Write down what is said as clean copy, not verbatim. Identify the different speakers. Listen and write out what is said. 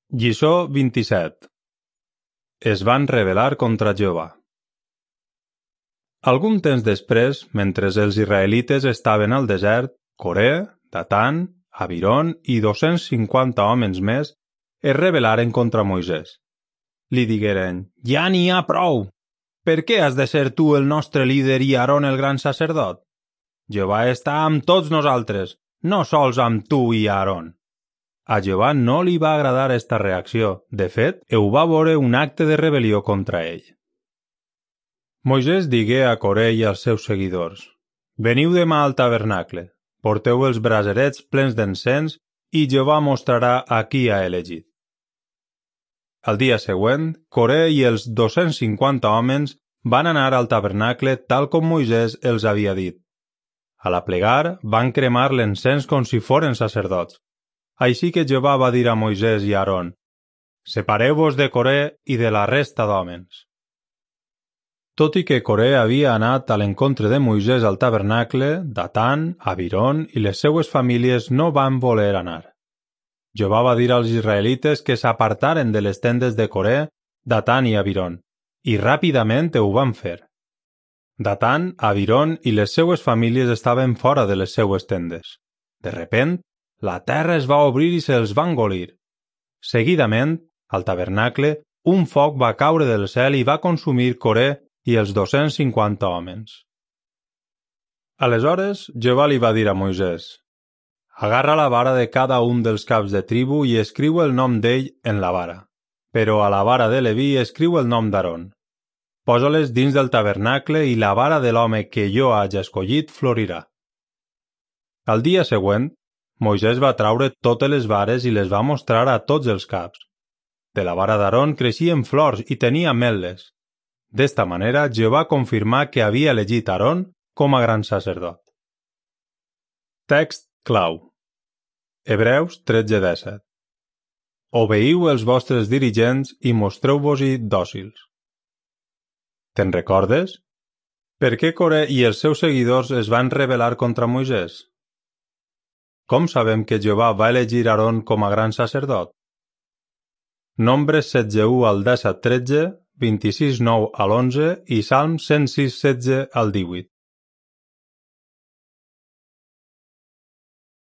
Speaker 1: Lliçó 27. Es van rebel·lar contra Jehovà. Algun temps després, mentre els israelites estaven al desert, Coré, Datan, Abiron i 250 homes més es rebel·laren contra Moisès. Li digueren: «Ja n'hi ha prou! Per què has de ser tu el nostre líder i Aaron el gran sacerdot? Jehovà està amb tots nosaltres, no sols amb tu i Aaron». A Jehovà no li va agradar esta reacció. De fet, ho va veure un acte de rebel·lió contra ell. Moisès digué a Coré i als seus seguidors: «Veniu demà al tabernacle, porteu els braserets plens d'encens i Jehovà mostrarà a qui ha elegit». Al dia següent, Coré i els 250 homes van anar al tabernacle tal com Moisès els havia dit. A la plegar, van cremar l'encens com si foren sacerdots. Així que Jehovà va dir a Moisès i a Aaron: «Separeu-vos de Coré i de la resta d'homes». Tot i que Coré havia anat a l'encontre de Moisès al tabernacle, Datan, Abiron i les seues famílies no van voler anar. Jehovà va dir als israelites que s'apartaren de les tendes de Coré, Datan i Abiron, i ràpidament ho van fer. Datan, Abiron i les seues famílies estaven fora de les seues tendes. De repent, la terra es va obrir i se'ls va engolir. Seguidament, al tabernacle, un foc va caure del cel i va consumir Coré i els 250 homes. Aleshores, Jehovà li va dir a Moisès: «Agarra la vara de cada un dels caps de tribu i escriu el nom d'ell en la vara, però a la vara de Leví escriu el nom d'Aaron. Posa-les dins del tabernacle i la vara de l'home que jo hagi escollit florirà». Al dia següent, Moisès va traure totes les vares i les va mostrar a tots els caps. De la vara d'Aaron creixien flors i tenia ametles. D'esta manera, Jehovà confirmà que havia elegit Aaron com a gran sacerdot. Text clau. Hebreus 13:17. Obeïu els vostres dirigents i mostreu-vos-hi dòcils. Te'n recordes? Per què Coré i els seus seguidors es van rebel·lar contra Moisès? Com sabem que Jehovà va elegir Aaron com a gran sacerdot? Nombres 16:1 al 17:13, 26:9 al 11 i Salms 106:16 al 18.